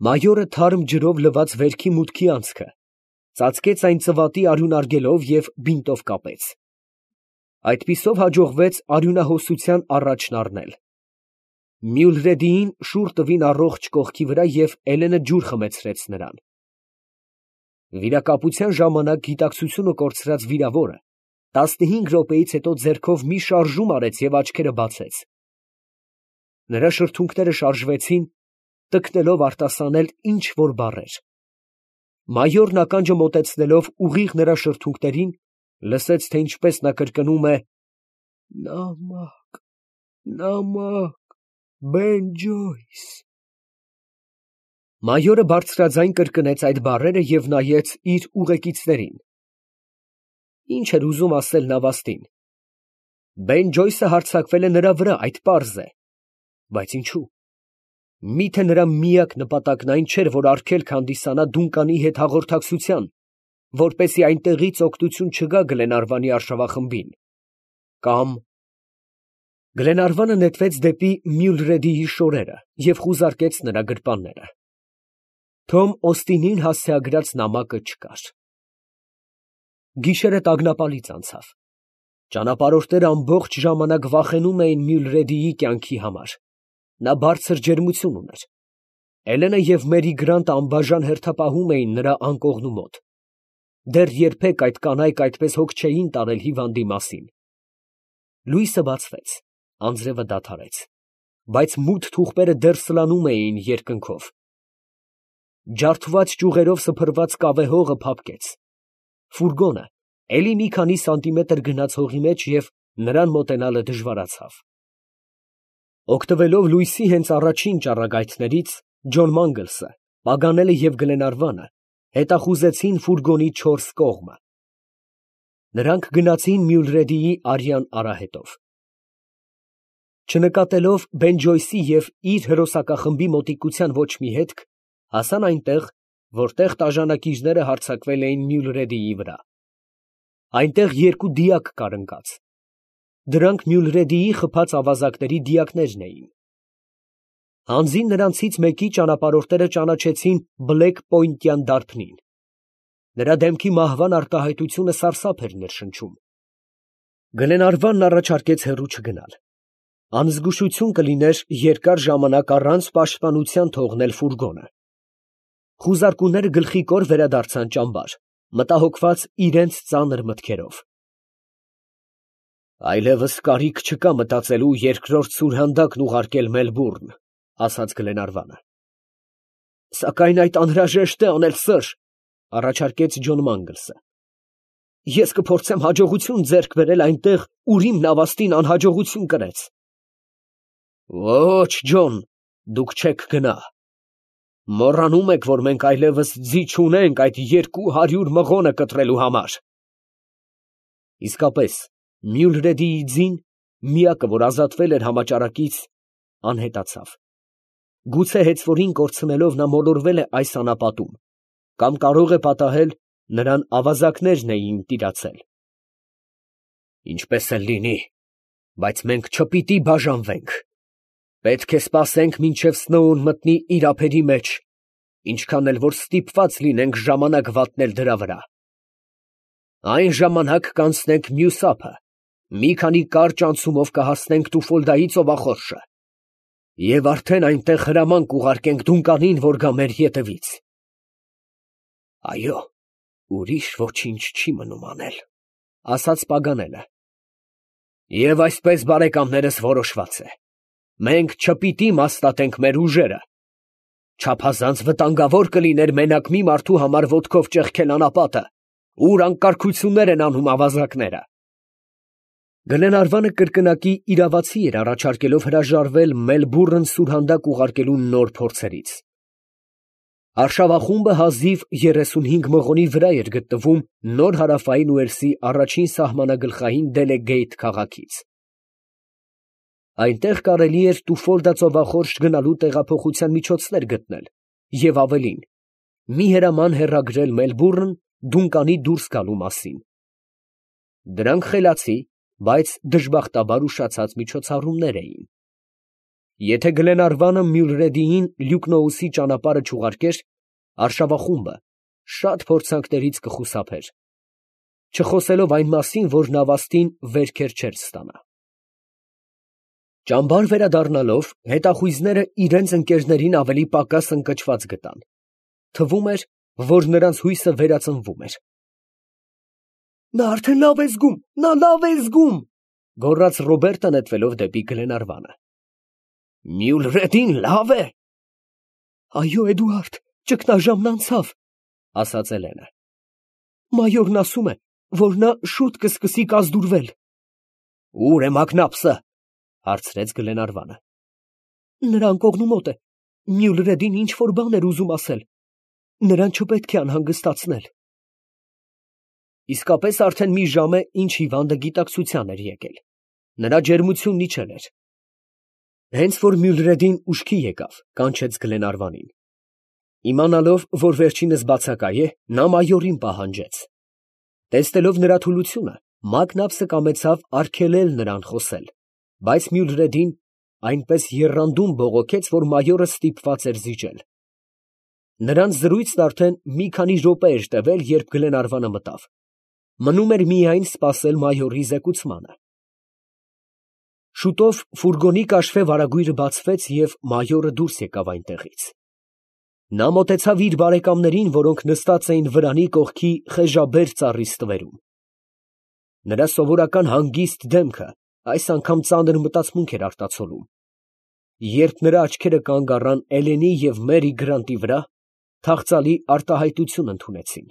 Մայորը թարմ ջրով լված վերքի մուտքի անցքը ծածկեց այն ծվատի արյունարգելով և բինտով կապեց։ Այդպիսով հաջողվեց արյունահոսության առաջն առնել։ Մյուլրեդիին շուռ տվին առողջ կողքի վրա և Էլենը ջուր խմեցրեց նրան։ Վիրակապության ժամանակ գիտակցությունը կորցրած վիրավորը 15 րոպեից հետո ձեռքով մի շարժում արեց և աչքերը բացեց։ Նրա շրթունքները շարժվեցին, տկնելով արտասանել ինչ որ բառեր։ Մայորն ականջը մոտեցնելով ուղիղ նրա շրթունքներին, լսեց, թե ինչպես նա կրկնում է. «Նամակ, նամակ, Բեն Ջոյս»։ Մայորը բարձրաձայն կրկնեց այդ բառերը և նայեց իր ուղեկիցներին։ Ինչ էր ուզում ասել նավաստին։ Բեն Ջոյսը հարձակվել է նրա վրա, այդ պարզ է, բայց ինչու։ Միթե նրա միակ նպատակն այն չէր, որ արգելք հանդիսանա Դունկանի հետ հաղորդակցության, որպեսզի այնտեղից օգնություն չգա Գլենարվանի արշավախմբին, կամ… Գլենարվանը նետվեց դեպի Մյուլրեդիի շորերը և խուզարկեց նրա գրպանները։ Թոմ Օստինին հասցեագրած նամակը չկար։ Գիշերը տագնապալից անցավ։ Ճանապարհորդները ամբողջ ժամանակ վախենում էին Մյուլրեդիի կյանքի համար։ Նա բարձր ջերմություն ուներ։ Էլենը և Մերի Գրանտը անբաժան հերթապահում էին նրա անկողնու մոտ։ Դեռ երբեք այդ կանայք այդպես հոգ չէին տարել հիվանդի մասին։ Լույսը բացվեց, անձրևը դադարեց, բայց մութ թուղթերը դեռ սլանում էին երկնքով։ Ջարդված ճյուղերով սփռված կավե հողը փափկեց։ Ֆուրգոնը էլի մի քանի սանտիմետր գնաց հողի մեջ և նրան մոտենալը դժվարացավ։ Օգտվելով լույսի հենց առաջին ճառագայթներից, Ջոն Մանգլսը, Պագանելը և Գլենարվանը հետախուզեցին ֆուրգոնի 4 կողմը։ Նրանք գնացին Մյուլրեդիի արյան արահետով։ Չնկատելով Բեն Ջոյսի և իր հրոսակախմբի մոտիկության ոչ մի հետք, հասան այնտեղ, որտեղ տաժանակիչները հարձակվել էին Մյուլրեդիի վրա։ Այնտեղ երկու դիակ կար ընկած։ Դրանք Մյուլրեդիի խփած ավազակների դիակներն էին։ Հանձին նրանցից մեկի ճանապարհորդները ճանաչեցին Բլեք Պոյնտյան դարբնին։ Նրա դեմքի մահվան արտահայտությունը սարսափ էր ներշնչում։ Գլենարվանն առաջարկեց հեռու չգնալ։ Անզգուշություն կլիներ երկար ժամանակ առանց պաշտպանության թողնել ֆուրգոնը։ Խուզարկուները գլխիկոր վերադարձան ճամբար, մտահոգված իրենց ծանր մտքերով։ Այլևս կարիք չկա մտածելու երկրորդ սուրհանդակն ուղարկել Մելբուրն, ասաց Գլենարվանը։ Սակայն այդ անհրաժեշտ է անել, սըր, առաջարկեց Ջոն Մանգլսը։ Ես կփորձեմ հաջողություն ձեռք բերել այնտեղ, ուր իմ նավաստին անհաջողություն կրեց։ Ոչ, Ջոն, դուք չեք գնա։ Մոռանում եք, որ մենք այլևս ձի չունենք այդ 200 մղոնը կտրելու համար։ Իսկապես, Մյուլրեդիի ձին, միակը, որ ազատվել էր համաճարակից, անհետացավ։ Գուցե հեծվորին կորցնելով նա մոլորվել է այս անապատում, կամ կարող է պատահել նրան ավազակներն էին տիրացել։ Ինչպես էլ լինի, բայց մենք չպիտի բաժանվենք։ Պետք է սպասենք, մինչև Սնոուն մտնի իր ափերի մեջ, ինչքան էլ որ ստիպված լինենք ժամանակ վատնել դրա վրա։ Այն ժամանակ կանցնենք մյուս ափը, մի քանի կարճ անցումով կհասնենք Տուֆոլդայի ծովախորշը, և արդեն այնտեղ հրամանք ուղարկենք Դունկանին, որ գա մեր ետևից։ Այո, ուրիշ ոչինչ չի մնում անել, ասաց Պագանելը։ Եվ այսպես, բարեկամներս, որոշված է. մենք չպիտի մասնատենք մեր ուժերը։ Չափազանց վտանգավոր կլիներ մենակ մի մարդու համար ոտքով ճեղքել անապատը, ուր անկարգություններ են անում ավազակները։ Գլենարվանը կրկնակի իրավացի էր առաջարկելով հրաժարվել Մելբուրն սուրհանդակ ուղարկելու նոր փորձերից։ Արշավախումբը հազիվ 35 մղոնի վրա էր գտնվում Նոր Հարավային Ուելսի առաջին սահմանագլխային Դելեգեյթ քաղաքից։ Այնտեղ կարելի էր Տուֆոլդա ծովախորշ գնալու տեղափոխության միջոցներ գտնել և ավելին, մի հրաման հեռագրել Մելբուրն Դունկանի դուրս գալու մասին։ Դրանք խելացի, բայց դժբախտաբար ուշացած միջոցառումներ էին։ Եթե Գլենարվանը Մյուլրեդիին Լյուկնոուսի ճանապարհը չուղարկեր, արշավախումբը շատ փորձանքներից կխուսափեր, չխոսելով այն մասին, որ նավաստին վերքեր չէր ստանա։ Ճամբար վերադառնալով, հետախույզները իրենց ընկերներին ավելի պակաս ընկճված գտան. թվում էր, որ նրանց հույսը վերածնվում էր։ Նա արդեն լավ է զգում, նա լավ է զգում, գոռաց Ռոբերտը նետվելով դեպի Գլենարվանը։ Մյուլրեդին լավ է։ Այո, Էդուարդ, ճգնաժամն անցավ, ասաց Էլենը։ Մայորն ասում է, որ նա շուտ կսկսի կազդուրվել։ Ո՞ւր է Մակնապսը, հարցրեց Գլենարվանը։ Նրան կողմու մոտ է։ Մյուլրեդին ինչ որ բան էր ուզում ասել։ Նրան չպետք է անհանգստացնել։ Իսկապես արդեն մի ժամ է, ինչ հիվանդը գիտակցության էր եկել։ Նրա ջերմությունն իջել էր։ Հենց որ Մյուլրեդին ուշքի եկավ, կանչեց Գլենարվանին։ Իմանալով, որ վերջինս բացակայ է, նա մայորին պահանջեց։ Տեսնելով նրա թուլությունը, Մակնապսը կամեցավ արգելել նրան խոսել, բայց Մյուլրեդին այնպես եռանդուն բողոքեց, որ մայորը ստիպված էր զիջել։ Նրանց զրույցն արդեն մի քանի րոպե էր տևել, երբ Գլենարվանը մտավ։ Մնում էր միայն սպասել մայորի զեկուցմանը։ Շուտով ֆուրգոնի կաշվե վարագույրը բացվեց և մայորը դուրս եկավ այնտեղից։ Նա մոտեցավ իր բարեկամներին, որոնք նստած էին վրանի կողքի խեժաբեր ծառի ստվերում։ Նրա սովորական հանգիստ դեմքը այս անգամ ծանր մտածմունք էր արտացոլում։ Երբ նրա աչքերը կանգ առան Էլենի և Մերի Գրանտի վրա, թախծալի արտահայտություն ընդունեցին։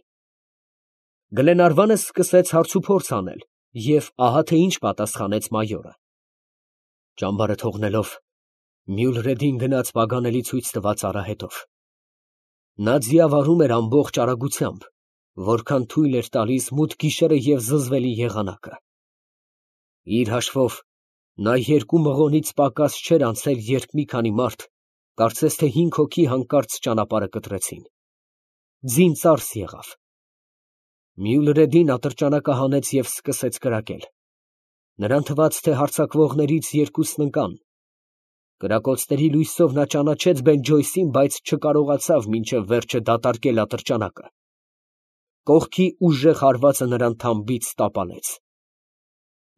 Գլենարվանը սկսեց հարցուփորձ անել, և ահա թե ինչ պատասխանեց մայորը։ Ճամբարը թողնելով, Մյուլրեդին գնաց պագանելի ցույց տված արահետով։ Նա ձիավարում էր ամբողջ արագությամբ, որքան թույլ էր տալիս մութ գիշերը և զզվելի եղանակը։ Իր հաշվով, նա 2 մղոնից պակաս չէր անցել, երբ մի քանի մարդ, կարծես թե 5 հոգի հանկարծ ճանապարհը կտրեցին։ Ձին ծարս եղավ։ Մյուլրեդին ատրճանակը հանեց և սկսեց կրակել։ Նրան թվաց, թե հարձակվողներից 2-ն ընկան։ Կրակոցների լույսով նա ճանաչեց Բենջոյսին, բայց չկարողացավ մինչև վերջը դատարկել ատրճանակը։ Կողքի ուժեղ հարվածը նրան թամբից տապալեց։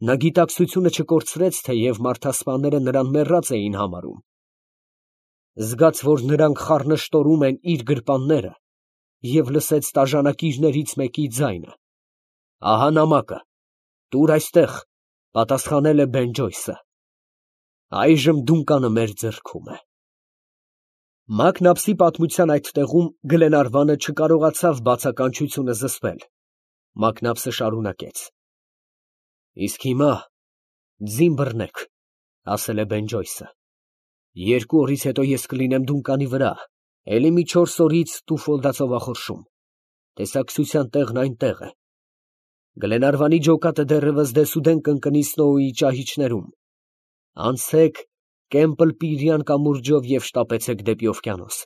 Նա գիտակցությունը չկորցրեց, թեև մարդասպաները նրան մեռած էին համարում։ Զգաց, որ նրանք խառնշտորում են իր գրպանները, և լսեց տաժանակիրներից մեկի ձայնը. «Ահա նամակը, տուր այստեղ», պատասխանել է Բենջոյսը։ «Այժմ դունկանը մեր ձեռքում է»։ Մակնապսի պատմության այդ տեղում Գլենարվանը չկարողացավ բացականչությունը զսպել։ Մակնապսը շարունակեց. «Իսկ հիմա ձին բռնեք», ասել է Բենջոյսը։ 2 օրից հետո ես կլինեմ դունկանի վրա, էլի մի 4 օրից Տուֆոլդա ծովախորշում։ Տեսակցության տեղն այնտեղ է։ Գլենարվանի ջոկատը դեռևս դեսուդեն կընկնի Սնոուի ճահիճներում։ Անցեք Կեմպլ-Պիրյան կամուրջով և շտապեցեք դեպի օվկիանոս։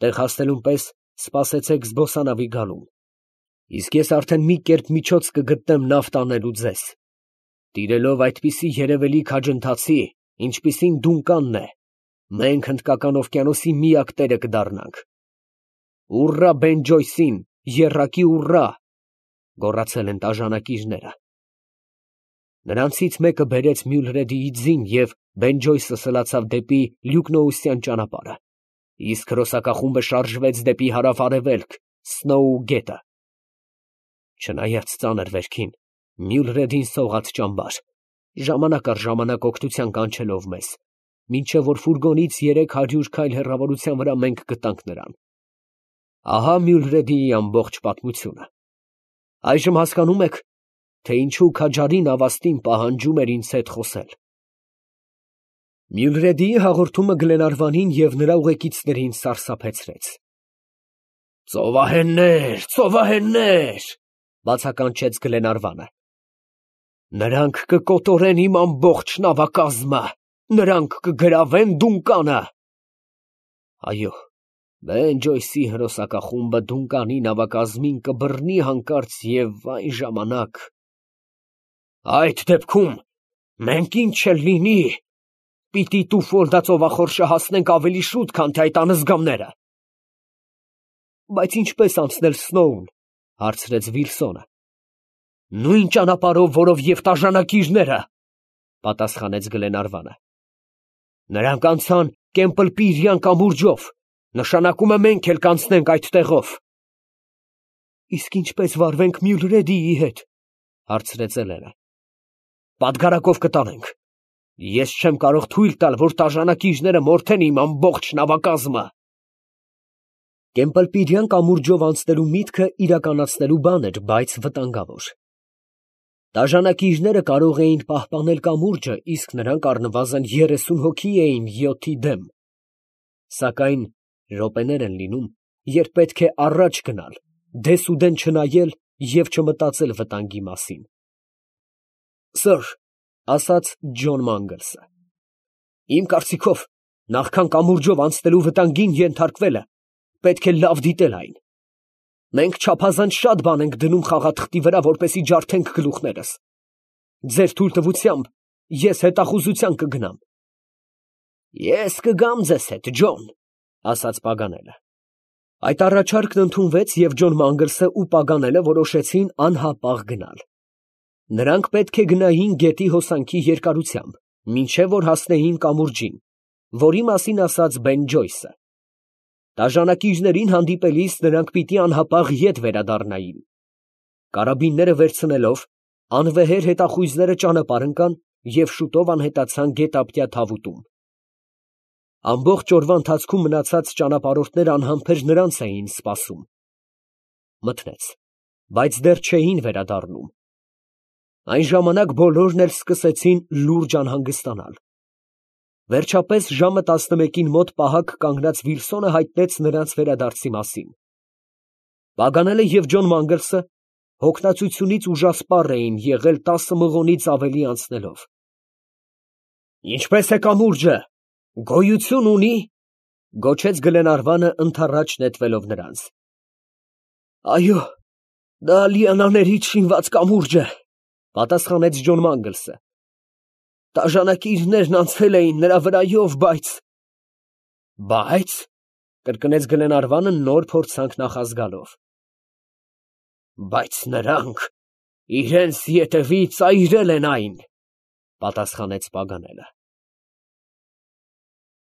Տեղ հասնելուն պես սպասեցեք զբոսանավի գալուն։ Իսկ ես արդեն մի կերպ միջոց կգտնեմ նավ տանելու ձեզ։ Տիրելով այդպիսի երևելի քաջընթացի, ինչպիսին դունկանն է, մենք Հնդկական օվկիանոսի միակ տերը կդառնանք։ Ուռա Բենջոյսին, եռակի ուռա, գոռացել են տաժանակիրները։ Նրանցից մեկը բերեց Մյուլրեդիի ձին և Բենջոյսը սլացավ դեպի Լյուկնոուսյան ճանապարհը, իսկ հրոսակախումբը շարժվեց դեպի հարավ֊արևելք, Սնոու գետը։ Չնայած ծանր վերքին, Մյուլրեդին սողաց ճամբար, ժամանակ առ ժամանակ օգնության կանչելով մեզ, մինչև որ ֆուրգոնից 300 քայլ հեռավորության վրա մենք գտանք նրան։ Ահա Մյուլրեդիի ամբողջ պատմությունը։ Այժմ հասկանում եք, թե ինչու քաջարի նավաստին պահանջում էր ինձ հետ խոսել։ Մյուլրեդիի հաղորդումը Գլենարվանին և նրա ուղեկիցներին սարսափեցրեց։ «Ծովահեններ, ծովահեններ», բացականչեց Գլենարվանը։ «Նրանք կկոտորեն իմ ամբողջ նավակազմը, նրանք կգրավեն դունկանը»։ Այո, Բենջոյսի հրոսակախումբը դունկանի նավակազմին կբռնի հանկարծ և այն ժամանակ… Այդ դեպքում մենք ինչ էլ լինի, Պիտի տուֆոլդա ծովախորշը հասնենք ավելի շուտ, քան թե այդ անզգամները։ Բայց ինչպես անցնել Սնոուն, հարցրեց Վիլսոնը։ Նույն ճանապարհով, որով և տաժանակիչները, պատասխանեց Գլենարվանը։ Նրանք անցան Կեմպլպիրյան կամուրջով, նշանակում է մենք էլ կանցնենք այդ տեղով։ Իսկ ինչպես վարվենք Մյուլրեդիի հետ, հարցրեց Էլենը։ Պատգարակով կտանենք։ Ես չեմ կարող թույլ տալ, որ տաժանակիչները մորթեն իմ ամբողջ նավակազմը։ Կեմպլպիրյան կամուրջով անցնելու միտքը իրականացնելու բան էր, բայց վտանգավոր։ Տաժանակիչները կարող էին պահպանել կամուրջը, իսկ նրանք առնվազն 30 հոգի էին 7-ի դեմ։ Սակայն րոպեներ են լինում, երբ պետք է առաջ գնալ, դեսուդեն չնայել և չմտածել վտանգի մասին։ Սըր, ասաց Ջոն Մանգլսը, իմ կարծիքով, նախքան կամուրջով անցնելու վտանգին ենթարկվելը, պետք է լավ դիտել այն։ Մենք չափազանց շատ բան ենք դնում խաղաթղթի վրա, որպեսզի ջարդենք գլուխներս։ Ձեր թույլտվությամբ ես հետախուզության կգնամ։ Ես կգամ ձեզ հետ, Ջոն, ասաց Պագանելը։ Այդ առաջարկն ընդունվեց, և Ջոն Մանգլսը ու Պագանելը որոշեցին անհապաղ գնալ։ Նրանք պետք է գնային գետի հոսանքի երկարությամբ, մինչև որ հասնեին կամուրջին, որի մասին ասաց Բեն Ջոյսը։ Տաժանակիչներին հանդիպելիս նրանք պիտի անհապաղ ետ վերադառնային։ Կարաբինները վերցնելով, անվեհեր հետախույզները ճանապարհ ընկան և շուտով անհետացան գետափյա թավուտում։ Ամբողջ օրվա ընթացքում մնացած ճանապարհորդները անհամբեր նրանց էին սպասում։ Մթնեց, բայց դեռ չէին վերադառնում։ Այն ժամանակ բոլորն էլ սկսեցին լուրջ անհանգստանալ։ Վերջապես ժամը 11-ին մոտ պահակ կանգնած Վիլսոնը հայտնեց նրանց վերադարձի մասին։ Պագանելը և Ջոն Մանգլսը հոգնածությունից ուժասպառ էին եղել 10 մղոնից ավելի անցնելով։ Ինչպե՞ս է կամուրջը, գոյություն ունի, գոչեց Գլենարվանը ընդառաջ նետվելով նրանց։ Այո, դա լիանաներից շինված կամուրջ է, պատասխանեց Ջոն Մանգլսը։ Տաժանակիչներն անցել էին նրա վրայով, բայց, կրկնեց Գլենարվանը նոր փորձանք նախազգալով։ Բայց նրանք իրենց ետևից այրել են այն, պատասխանեց Պագանելը։